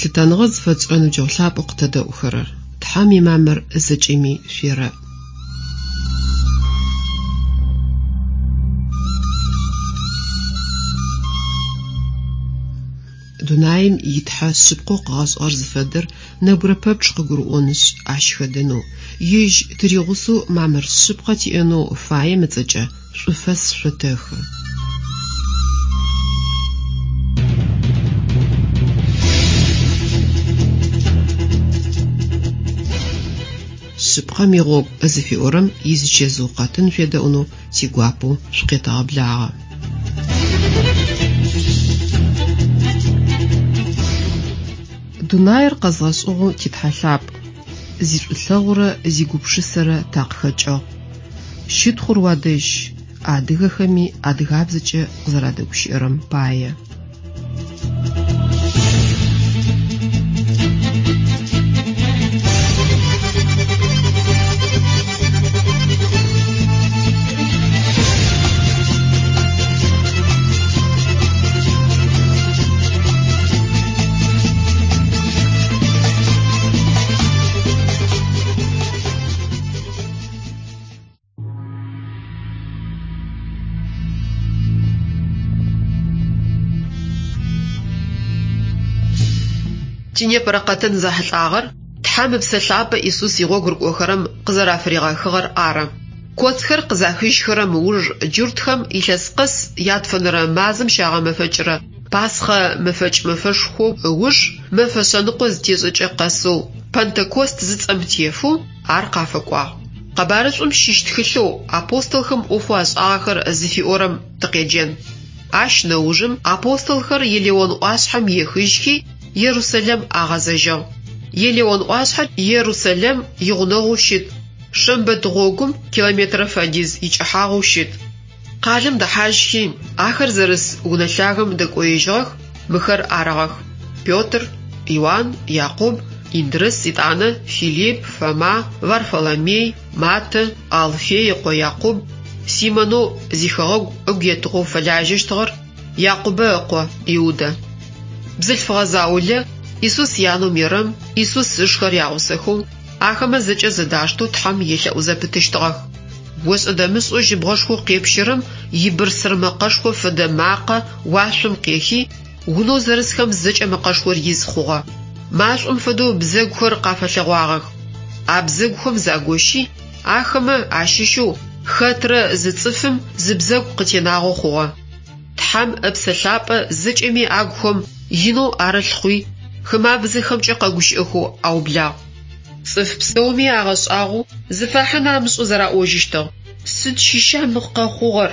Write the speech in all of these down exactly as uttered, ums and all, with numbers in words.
Лъытэныгъэ зыфэтшӏырэ ныбджэгъу лъапӏэу къытэдэӏухэрэр, Тхьэм имамыр зэкӏэми шъуерэӏ. Дунаим итхьэ шъыпкъэу къыгъэшӏыгъэр зыфэдэр нэбгырэ пэпчъ къыгурыӏонышъ, ащ хэдэнэу, ежь тыригъусэу мамыр шъыпкъэ тиӏэнэу фаем ыцӏэкӏэ шӏуфэс шъотэхы. Шъыпкъэм игъогу зыфиӏорэм изычэзыу къэтын шъуедэӏунэу тигуапэу шъукъетэгъэблагъэ. Дунаир къэзгъэшӏыгъэу титхьэ лъапӏ, зишӏулъэгъурэ зигупшысэрэ такъыхэкӏыгъ. Щытхъур уадэжь, адыгэхэми адыгабзэкӏэ къызэрадэгущыӏэрэм пае. Тинепэрэ къэтын зэхьылӏагъэр Тхьэм ыпсэ лъапӏэ Исус игъогу рыкӏохэрэм къызэрафыригъэхыгъэр ары. Коцхэр къызахыжьхэрэм ыуж джуртхэм илъэс къэс ятфэнэрэ мазэм щагъэмэфэкӏырэ Пасхъэ мэфэкӏ мэфэшхоу ыуж мэфэ шъэныкъо зытешӏэкӏэ къэсэу Пэнтэкост зыцӏэм тефэу ар къафэкӏуагъ. Къэбарышӏум щыщ тхылъэу апостолхэм ӏофэу ашӏагъэхэр зыфиӏорэм тыкъеджэн. Ащ нэужым апостолхэр Елеон ӏуашъхьэм ехыжьхи Ерусэлэм агъэзэжьыгъ. Елеон ӏуашъхьэр Ерусэлэм игъунэгъоу щыт, шэмбэт гъогум километрэ фэдиз икӏыхьагъэу щыт. Къалэм дэхьажьхи, ахэр зэрыс унэ лъагэм дэкӏоежьыгъэх, мыхэр арыгъэх: Петр, Иуан, Якъуб, Индрыс, итӏанэ Филипп, Фома, Варфоломей, Матэ, Алфей ыкъо Якъуб, Симонэу зихэгъэгу ыгу етыгъэу фэлажьэщтыгъэр, Якъубэ ыкъо Иудэ. Бзылъфыгъэ заулэ Исус янэу Мерэм, Исус ышхэр ягъусэхэу, ахэмэ зэкӏэ зэдаштэу Тхьэм елъэӏузэпытыщтыгъэх. Ошӏэ-дэмышӏэу жьыбгъэшхоу къепщэрэм ибырсыр мэкъэшхо фэдэ макъэ уашъом къехи, унэу зэрысхэм зэкӏэ мэкъэшхор из хъугъэ. Машӏом фэдэу бзэгухэр къафэлъэгъуагъэх. А бзэгухэм загощи, ахэмэ ащыщэу хэтрэ зы цӏыфым зы бзэгу къытенагъэу хъугъэ. Тхьэм ыпсэ лъапӏэ зэкӏэми агухэм инэу арылъ хъуи, хымабзэхэмкӏэ къэгущыӏэхэу аублагъ. Цӏыф пстэуми агъэшӏагъоу зыфахьын амышӏэу зэраӏожьыщтыгъ: Сыд щыща мы къэхъугъэр?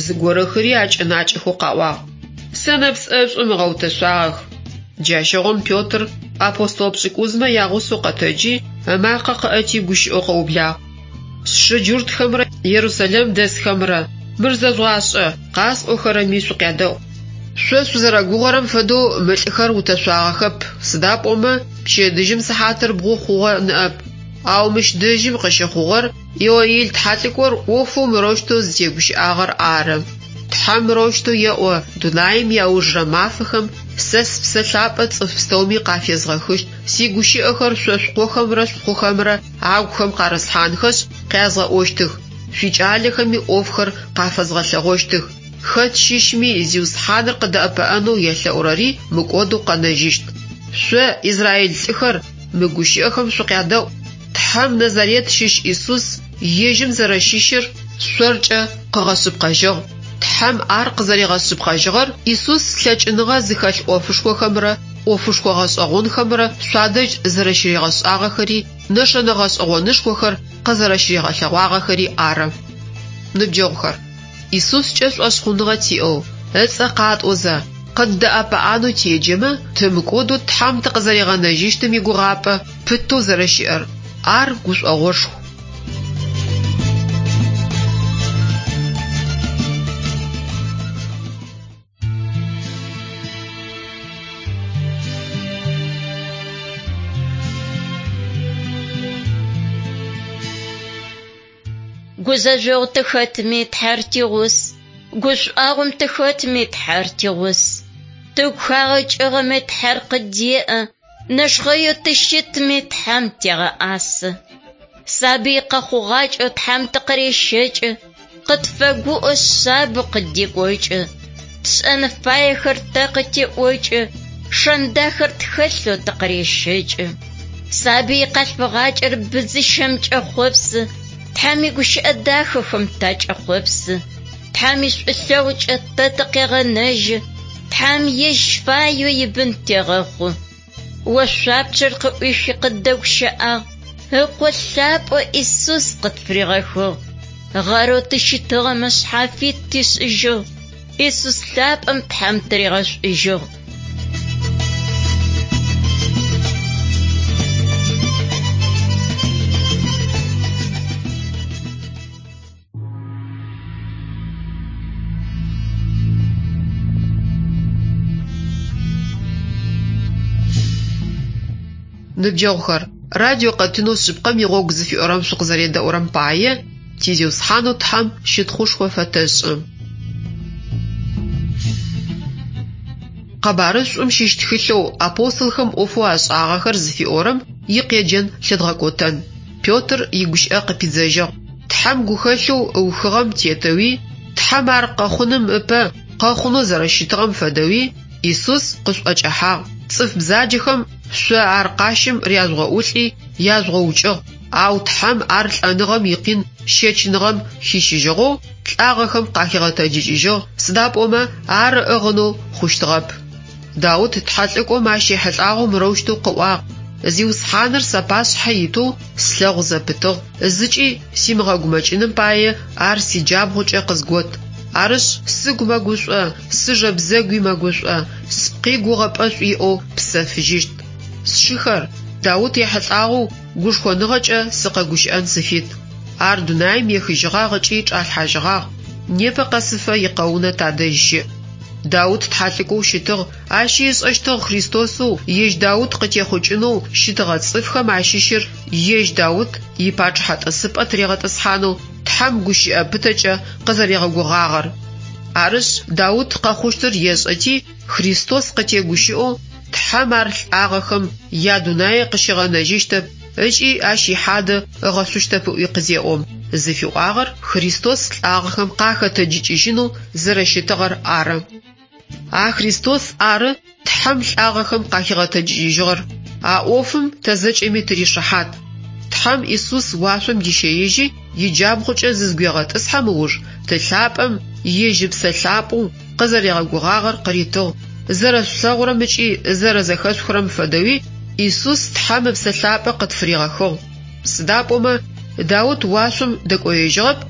Зыгорэхэри акӏэнакӏэхэу къаӏуагъ: Сэнэпс ӏэшӏум ыгъэутэшъуагъэх. Джащыгъум Петр апостол пшӏыкӏузмэ ягъусэу къэтэджи, ымакъэ къыӏэти гущыӏэу къыублагъ: Сшы джуртхэмрэ Ерусэлэм дэсхэмрэ, мыр зэжъугъашӏэ, къасӏохэрэми шъукъядэӏу. Шъо шъузэрэгугъэрэм фэдэу мы лӏыхэр утэшъуагъэхэп, сыда пӏомэ пчэдыжьым сыхьатыр бгъу хъугъэ ныӏэп. Ау мыщ дэжьым къыщыхъугъэр Иоил тхьэлӏыкӏор ӏофэу мырэущтэу зытегущыӏагъэр ары. Тхьэм мырэущтэу еӏо: дунаим иаужырэ мафэхэм сэ спсэ лъапӏэ цӏыф пстэуми къафезгъэхыщт, сигущыӏэхэр шъо шъукъохэмрэ шъупхъухэмрэ агухэм къарыслъхьанхэшъ, къязгъэӏощтых, шъуикӏалэхэми ӏофхэр къафэзгъэлъэгъощтых. Хэт щыщми Зиусхьаныр къыдэӏэпыӏэнэу елъэӏурэри мыкӏодэу къэнэжьыщт. Шъо, Израил лӏыхэр, мы гущыӏэхэм шъукъядэӏу. Тхьэм Назарет щыщ Исус ежьым зэрэщыщыр шъоркӏэ къыгъэшъыпкъэжьыгъ. Тхьэм ар къызэригъэшъыпкъэжьыгъэр Исус лъэкӏыныгъэ зыхэлъ ӏофышхохэмрэ ӏофышхо гъэшӏэгъонхэмрэ шъуадэжь зэрэщыригъэшӏагъэхэри, нэшэнэ гъэшӏэгъонышхохэр къызэрэщыригъэлъэгъуагъэхэри ары. Ныбджэгъухэр, Исускӏэ шӏошъхъуныгъэ тиӏэу, ыцӏэ къатӏозэ, къыддэӏэпыӏэнэу теджэмэ, тымыкӏодэу Тхьэм тыкъызэригъэнэжьыщтым игугъапӏэ пытэу зэрэщыӏэр, ар гушӏогъошху. Гузэжъогъу тыхэтми Тхьэр тигъус, гушӏуагъом тыхэтми Тхьэр тигъус. Тыгу хагъэкӏыгъэми Тхьэр къыддеӏэ, Нэшхъэеу тыщытми Тхьэм тегъэӏасэ. Сабый къэхъугъакӏэу Тхьэм тыкъырещэкӏы, къытфэгуӏо шъабэу къыддекӏокӏы. Тшӏэн фаехэр тэ къытеӏокӏы, шэн дахэр тхэлъэу тыкъырещэкӏы. Сабый къэлъфыгъакӏэр быдзыщэм кӏэхъопсы, Тхьэм игущыӏэ дахэхэм такӏэхъопсы. Тхьэм ишӏулъэгъукӏэ тэ тыкъегъэнэжьы, Тхьэм ежь фаеу ибын тегъэхъу. Ошъуапчъэр къыӏуихи къыддэгущыӏагъ, ыкъо лъапӏэу Исус къытфыригъэхыгъ. Гъэрэу тыщытыгъэмэ шъхьафит тишӏыжьыгъ, Исус лъапӏэм Тхьэм тыригъэшӏужьыгъ. Ныбджэгъухэр, радио къэтынэу шъыпкъэм игъогу зыфиӏорэм шъукъызэредэӏурэм пае ти Зиусхьанэу Тхьэм щытхъушхо фэтэшӏы. Къэбарышӏум щыщ тхылъэу «Апостолхэм ӏофэу ашӏагъэхэр» зыфиӏорэм икъеджэн лъыдгъэкӏотэн. Петр игущыӏэ къыпидзэжьыгъ: Тхьэм гухэлъэу ыухыгъэм тетэуи, Тхьэм ар къэхъуным ыпэ къэхъунэу зэрэщытыгъэм фэдэуи Исус къышъуӏэкӏэхьагъ. Цӏыф бзаджэхэм шъо ар къащым ряжъугъэӏулӏи яжъугъэукӏыгъ, ау Тхьэм ар лӏэныгъэм икъин щэчыныгъэм хищыжьыгъэу лӏагъэхэм къахигъэтэджыкӏыжьыгъ, сыда пӏомэ ар ыӏыгъынэу хъущтыгъэп. Даут тхьэлӏыкӏом ащ ехьылӏагъэу мырэущтэу къыӏуагъ: Зиусхьаныр сапашъхьэ итэу слъэгъу зэпытыгъ, зыкӏи симыгъэгумэкӏыным пае ар сиджабгъукӏэ къызгот. Арышъ, сыгу мэгушӏо, сыжэ бзэгуи мэгушӏо, спкъи гугъэпӏэшӏу иӏэу псэфыжьыщт. Сшыхэр, Даут ехьылӏагъэу гушхоныгъэкӏэ сыкъэгущыӏэн сыфит. Ар дунаим ехыжьыгъагъ ыкӏи чӏалъхьажьыгъагъ, непэ къэсыфэ икъэунэ тадэжь щыӏ. Даут тхьэлӏыкӏоу щытыгъ, ащи ышӏэщтыгъ Христосэу ежь Даут къытехъукӏынэу щытыгъэ цӏыфхэм ащыщыр ежь Даут ипачъыхьэ тӏысыпӏэ тыригъэтӏысхьанэу Тхьэм гущыӏэ пытэкӏэ къызэригъэгугъагъэр. Арышъ, Даут къэхъущтыр ешӏэти, Христос къытегущыӏэу Тхьэм ар лӏагъэхэм ядунае къыщигъэнэжьыщтэп ыкӏи ащ ихьадэ ыгъэшъущтэп ыӏуи къызеӏом, зыфиӏуагъэр Христос лӏагъэхэм къахэтэджыкӏыжьынэу зэрэщытыгъэр ары. А Христос ары Тхьэм лӏагъэхэм къахигъэтэджыкӏыжьыгъэр. А ӏофым тэ зэкӏэми тыришыхьат. Тхьэм Исус уашъом дищэежьи, иджабгъукӏэ зызгуегъэтӏысхьэм ыуж, Ты лъапӏэм ежь ыпсэ лъапӏэу къызэригъэгугъагъэр къыритыгъ. Зэрэшъулъэгъурэм ыкӏи зэрэзэхэшъухырэм фэдэуи Исус Тхьэм ыпсэ лъапӏэ къытфыригъэхыгъ. Сыда пӏомэ Даут уашъом дэкӏоежьыгъэп,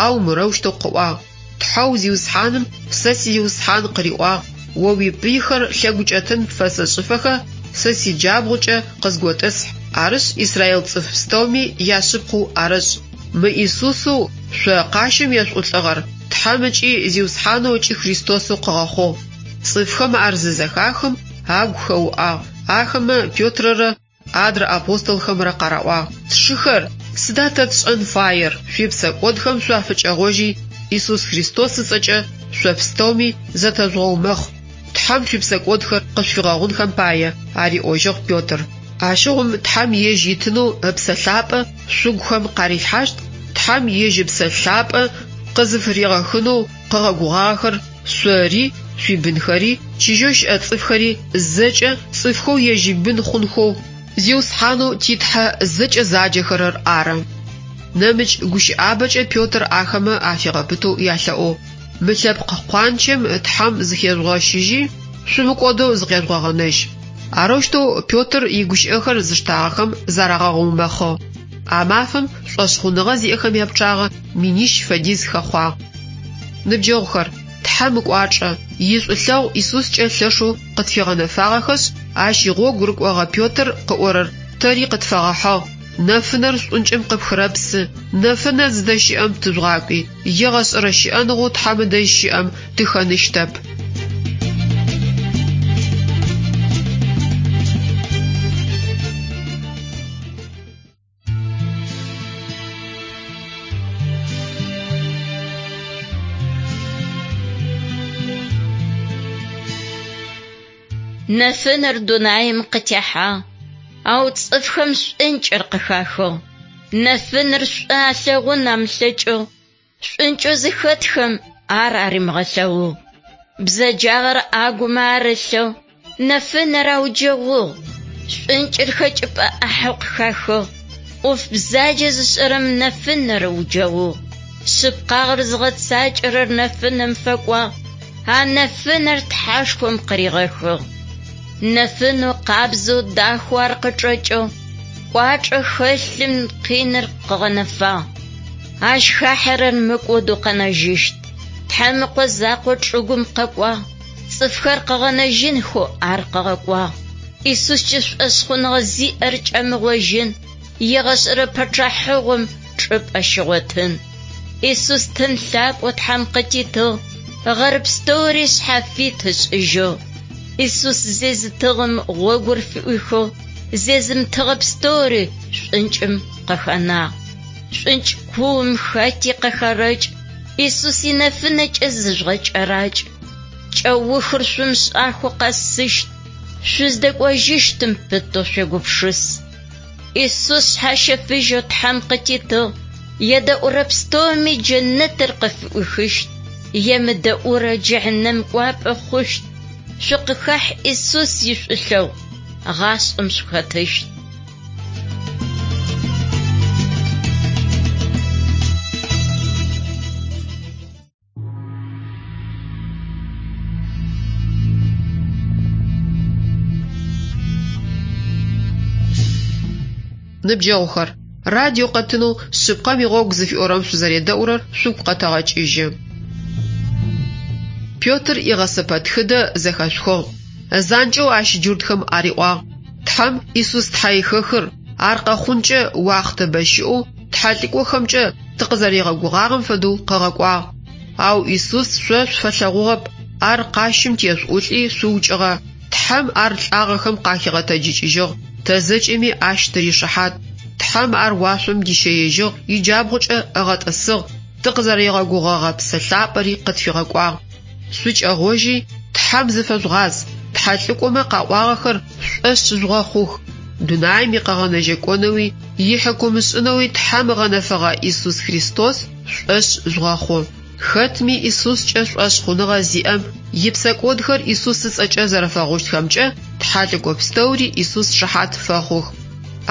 ау мырэущтэу къыӏуагъ: Тхьэу Зиусхьаным сэ си Зиусхьан къыриӏуагъ: О уипыйхэр лъэгукӏэтын пфэсэшӏыфэхэ сэ сиджабгъукӏэ къызготӏысхь. Арышъ, Израил цӏыф пстэуми яшъыпкъэу арэшӏ. Мы Исусэу шъо къащым ешъуӏулӏыгъэр Тхьэм ыкӏи Зиусхьанэу ыкӏи Христосэу къыгъэхъугъ. Цӏыфхэм ар зызэхахым агу хэуӏагъ. Ахэмэ Петрэрэ адрэ апостолхэмрэ къараӏуагъ: Сшыхэр, сыда тэ тшӏэн фаер? Шъуипсэкӏодхэм шъуафыкӏэгъожьи, Исус Христос ыцӏэкӏэ шъо пстэуми зэтэжъугъэумэхъ. Тхьэм шъуипсэкӏодхэр къышъуфигъэгъунхэм пае, ариӏожьыгъ Петр. Ащыгъум Тхьэм ежь итынэу ыпсэ лъапӏэ шъугухэм къарилъхьащт, Тхьэм ежь ыпсэ лъапӏэ къызыфыригъэхынэу къыгъэгугъагъэхэр шъори, шъуибынхэри, чыжьэу щыӏэ цӏыфхэри зэкӏэ цӏыфхэу ежь ибын хъунхэу Зиусхьанэу ти Тхьэ зэкӏэ заджэхэрэр ары. Нэмыкӏ гущыӏабэкӏэ Петр ахэмэ афигъэпытэу ялъэӏугъ: Мы лъэпкъ къуанчэм Тхьэм зыхежъугъэщыжьи, шъумыкӏодэу зыкъежъугъэгъэнэжь. Арэущтэу Петр игущыӏэхэр зыштагъэхэм зарагъэумэхъыгъ. А мафэм шӏошъхъуныгъэ зиӏэхэм япчъагъэ минищ фэдиз хэхъуагъ. Ныбджэгъухэр, Тхьэм ыкӏуачӏэ, ишӏулъэгъу Исускӏэ лъэшэу къытфигъэнэфагъэхэшъ, ащ игъогу рыкӏогъэ Петр къыӏорэр тэри къытфэгъэхьыгъ. Нэфынэр шӏункӏым къыпхырэпсы, нэфынэр зыдэщыӏэм тыжъугъакӏуи, егъэшӏэрэ щыӏэныгъэу Тхьэм ыдэжь щыӏэм тыхэныщтэп. Нэфынэр дунаим къытехьагъ. Ау цӏыфхэм шӏункӏыр къыхахыгъ. Нэфынэр шӏу алъэгъун амылъэкӏыгъ. Шӏункӏэу зыхэтхэм ар аримыгъэлъэгъугъ. Бзэджагъэр агумэ арылъыгъ, нэфынэр ауджэгъугъ. Шӏункӏыр хэкӏыпӏэ ӏахьэу къыхахыгъ. ӏоф бзаджэ зышӏэрэм нэфынэр ыуджэгъугъ. Шъыпкъагъэр зыгъэцакӏэрэр нэфынэм фэкӏуагъ. А нэфынэр Тхьэшхом къыригъэхыгъ. Нэфынэу къабзэу дахэу ар къычӏэкӏыгъ. Кӏуачӏэ хэлъым къиныр къыгъэнэфагъ. Ащ хахьэрэр мыкӏодэу къэнэжьыщт. Тхьэм ыкъо закъо чӏыгум къэкӏуагъ. Цӏыфхэр къыгъэнэжьынхэу ар къыгъэкӏуагъ. Исускӏэ шӏошъхъуныгъэ зиӏэр кӏэмыгъожьын, егъэшӏэрэ пэчъахьыгъом чӏыпӏэ щигъотын. Исус тын лъапӏэу Тхьэм къытитыгъ, гъэр пстэури шъхьафит ышӏыжьыгъ. Исус зезытыгъэм гъогур фыӏуихыгъ, зезымытыгъэ пстэури шӏункӏым къыхэнагъ. Шӏункӏ куум хэти къыхэрэкӏ, Исус инэфынэкӏэ зыжъугъэкӏэракӏ. Кӏэухыр шъумышӏахэу къэсыщт, шъуздэкӏожьыщтым пытэу шъуегупшыс. Исус шъхьащэфыжьэу Тхьэм къытитыгъ, едэӏурэ пстэуми джэнэтыр къыфыӏуихыщт, емыдэӏурэ джыхьнэм кӏуапӏэ хъущт. Шъукъыхахь Исус ишӏулъэгъу, гъашӏэм шъухэтыщт. Ныбджэгъухэр, радио къэтынэу шъыпкъэм игъогу зыфиӏорэм шъузэредэӏурэр шъугу къэтэгъэкӏыжьы. Петр игъэсэпэтхыдэ зэхэшъухыгъ. Занкӏэу ащ джуртхэм ариӏуагъ: Тхьэм Исус тхьэихэхыр, ар къэхъункӏэ уахътэ бэ щыӏэу тхьэлӏыкӏохэмкӏэ тыкъызэригъэгугъагъэм фэдэу къыгъэкӏуагъ. Ау Исус шъо шъуфэлъэгъугъэп, ар къащым тешъуӏулӏи шъуукӏыгъэ. Тхьэм ар лӏагъэхэм къахигъэтэджыкӏыжьыгъ, тэ зэкӏэми ащ тыришыхьат. Тхьэм ар уашъом дищэежьыгъ, иджабгъукӏэ ыгъэтӏысыгъ, тыкъызэригъэгугъэгъэ Псэ Лъапӏэри къытфигъэкӏуагъ. Шъукӏэгъожьи, Тхьэм зыфэжъугъаз, тхьэлӏыкӏомэ къаӏуагъэхэр шӏошъ жъугъэхъух. Дунаим икъэгъэнэжьэкӏонэуи, ихьыкумышӏынэуи Тхьэм ыгъэнэфэгъэ Исус Христос шӏошъ жъугъэхъу. Хэтми Исускӏэ шӏошъхъуныгъэ зиӏэм ипсэкӏодхэр Исус ыцӏэкӏэ зэрэфэгъущтхэмкӏэ тхьэлӏыкӏо пстэури Исус шыхьат фэхъух.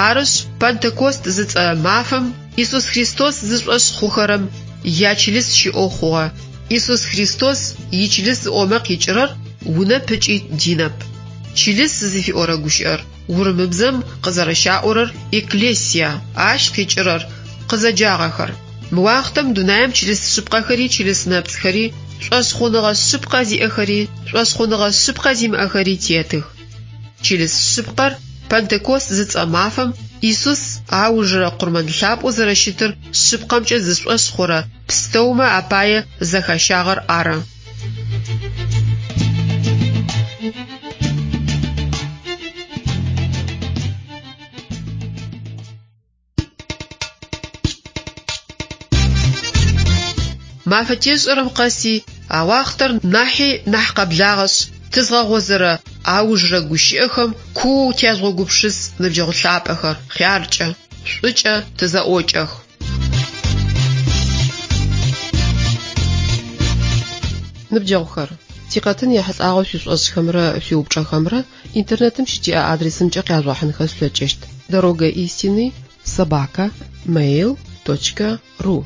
Арышъ, Пэнтэкост зыцӏэ мафэм Исус Христос зышӏошъ хъухэрэм ячылыс щыӏэу хъугъэ. Исус Христос ичылыс зыӏомэ къикӏырэр унэп ыкӏи динэп. Чылыс зыфиӏорэ гущыӏэр урымыбзэм къызэрэщаӏорэр «экклесия», ащ къикӏырэр къызэджагъэхэр. Мы уахътэм дунаим чылыс шъыпкъэхэри чылыс нэпцӏхэри, шӏошъхъуныгъэ шъыпкъэ зиӏэхэри, шӏошъхъуныгъэ шъыпкъэ зимыӏэхэри тетых. Чылыс шъыпкъэр Пэнтэкост зыцӏэ мафэм Исус аужырэ къурмэн лъапӏэу зэрэщытыр шъыпкъэмкӏэ зышӏошъ хъурэ пстэумэ апае зэхащагъэр ары. Мафэ тешӏэрэм къэси а уахътэр нахьи нахь къэблагъэшъ, тызгъэгъозэрэ аужырэ гущыӏэхэм куоу тяжъугъэгупшыс ныбджэгъу лъапӏэхэр, хъяркӏэ, шӏукӏэ тызэӏокӏэх. Ныбджэгъухэр, тикъэтын ехьылӏагъэу шъуишӏошӏхэмрэ шъуиупчӏэхэмрэ интернетым щытиӏэ адресымкӏэ къяжъугъэхьынхэ шъулъэкӏыщт: дорога истины собака mail точка ру.